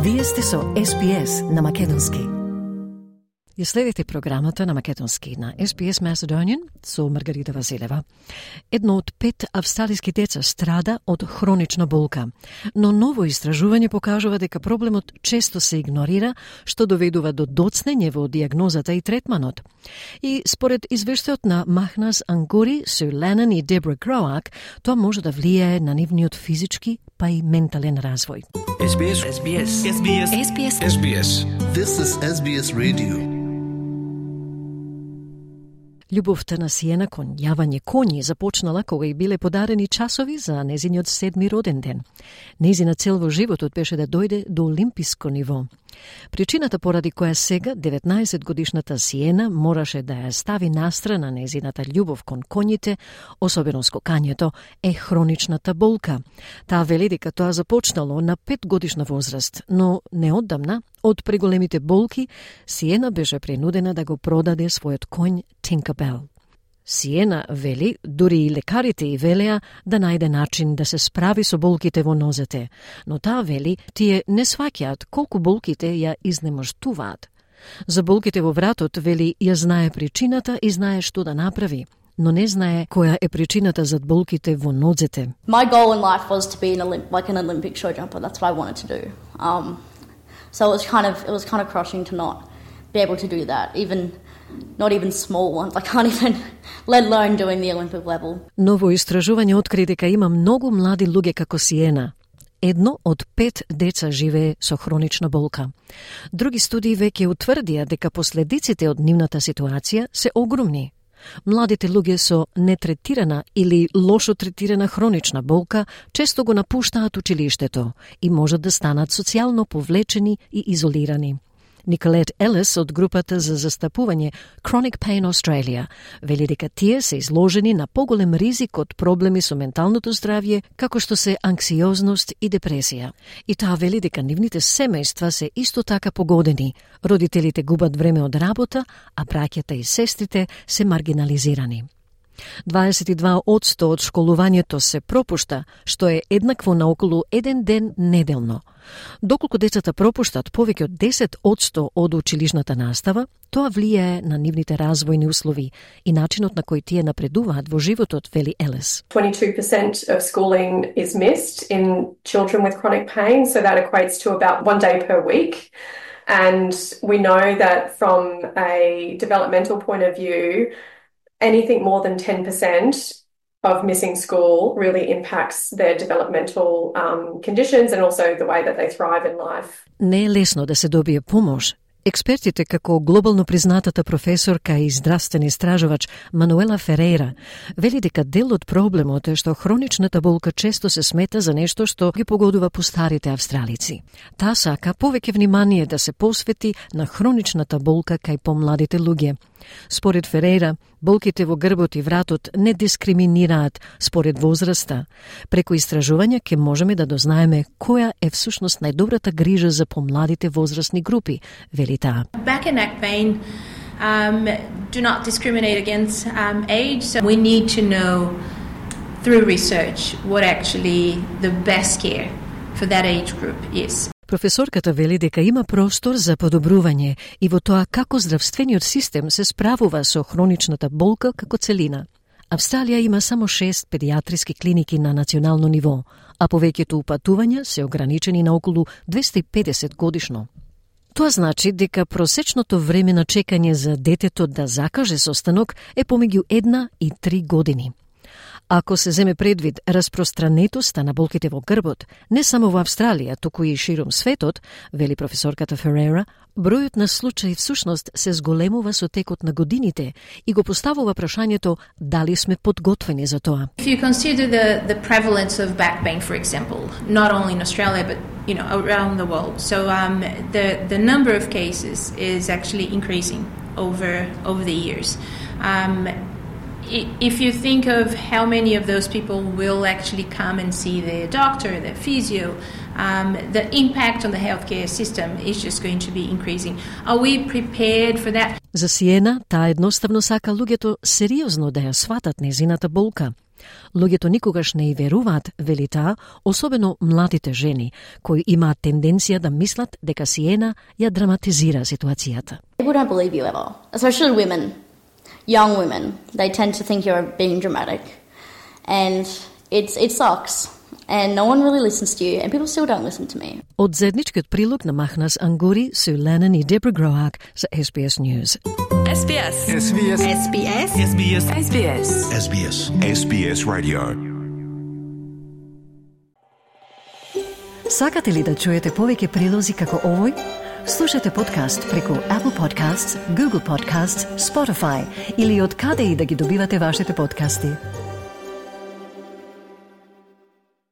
Вие сте со SPS на македонски. Ја следите програмата на македонски на SPS Macedonian со Маргарита Василева. Едно од 5 австралиски деца страда од хронична болка, но ново истражување покажува дека проблемот често се игнорира, што доведува до доцнење во диагнозата и третманот. И според извештајот на Махнас Ангури, Су Ленен и Дебра Гроак, тоа може да влијае на нивниот физички па и ментален развој. SBS. This is SBS Radio. Љубовта на Сиена кон јавање коњи започнала кога и биле подарени часови за незиниот 7-ми роден ден. Незина цел во животот беше да дојде до олимписко ниво. Причината поради која сега 19-годишната Сиена мораше да ја стави настрана незината љубов кон коњите, особено скокањето, е хроничната болка. Таа вели дека тоа започнало на 5-годишна возраст, но неодамна, од преголемите болки, Сиена беше принудена да го продаде својот коњ Tinkerbell. Сиена вели, дури и лекарите и велеа да најде начин да се справи со болките во нозете, но таа вели, тие не сваќаат колку болките ја изнемоштуваат. За болките во вратот, вели, ја знае причината и знае што да направи, но не знае која е причината за болките во нозете. My goal in life was to be an Olympic show jumper. That's what I wanted to do. So it was kind of crushing to not be able to do that, not even small ones. I can't even, let alone doing the Olympic level. Ново истражување откри дека има многу млади луѓе како Сиена. 1 од 5 деца живее со хронична болка. Други студии веќе утврдија дека последиците од нивната ситуација се огромни. Младите луѓе со нетретирана или лошо третирана хронична болка често го напуштаат училиштето и можат да станат социјално повлечени и изолирани. Николет Елис од групата за застапување Chronic Pain Australia вели дека тие се изложени на поголем ризик од проблеми со менталното здравје, како што се анксиозност и депресија. И таа вели дека нивните семејства се исто така погодени. Родителите губат време од работа, а браќата и сестрите се маргинализирани. 22% од школувањето се пропушта, што е еднакво на околу 1 ден неделно. Доколку децата пропуштат повеќе од 10% од училишната настава, тоа влијае на нивните развојни услови и начинот на кој тие напредуваат во животот, вели Елис. 22% of schooling is missed in children with chronic pain, so that equates to about 1 day per week. And we know that from a developmental point of view, anything more than 10% of missing school really impacts their developmental conditions and also the way that they thrive in life. Не е лесно да се добие помош. Експертите, како глобално признатата професорка и здравствен истражувач Мануела Ферейра, вели дека дел од проблемот е што хроничната болка често се смета за нешто што ги погодува постарите австралици. Таа сака повеќе внимание да се посвети на хроничната болка кај помладите луѓе. Според Ферейра, болките во грбот и вратот не дискриминираат според возраста. Преку истражување ќе можеме да дознаеме која е всушност најдобрата грижа за помладите возрастни групи, вели таа. Back and neck pain do not discriminate against age, so we need to know through research what actually the best care for that age group is. Професорката вели дека има простор за подобрување и во тоа како здравствениот систем се справува со хроничната болка како целина. Австралија има само 6 педиатриски клиники на национално ниво, а повеќето упатувања се ограничени на околу 250 годишно. Тоа значи дека просечното време на чекање за детето да закаже состанок е помеѓу 1 и 3 години. Ако се земе предвид распространетоста на болките во грбот, не само во Австралија, туку и широм светот, вели професорката Ферейра, бројот на случаи всушност се зголемува со текот на годините и го поставува прашањето дали сме подготвени за тоа. If you consider the prevalence of back pain, for example, not only in Australia but around the world, so the number of cases is actually increasing over the years. If you think of how many of those people will actually come and see their doctor, their physio, the impact on the healthcare system is just going to be increasing. Are we prepared for that? За Сиена, таа едноставно сака луѓето сериозно да ја сватат незината болка. Луѓето никогаш не и веруваат, вели таа, особено младите жени, кои имаат тенденција да мислат дека Сиена ја драматизира ситуацијата. People don't believe you ever, especially women, young women. They tend to think you're being dramatic, and it sucks. And no one really listens to you, and people still don't listen to me. Од заедничкиот прилог на Махнас Ангури, Су Ленен и Дебра Гроак за SBS News. SBS. SBS. SBS. SBS. SBS. SBS. SBS Radio. Сакате ли да чуете повеќе прилози како овој? Слушате подкаст преку Apple Podcasts, Google Podcasts, Spotify или од каде и да ги добивате вашите подкасти.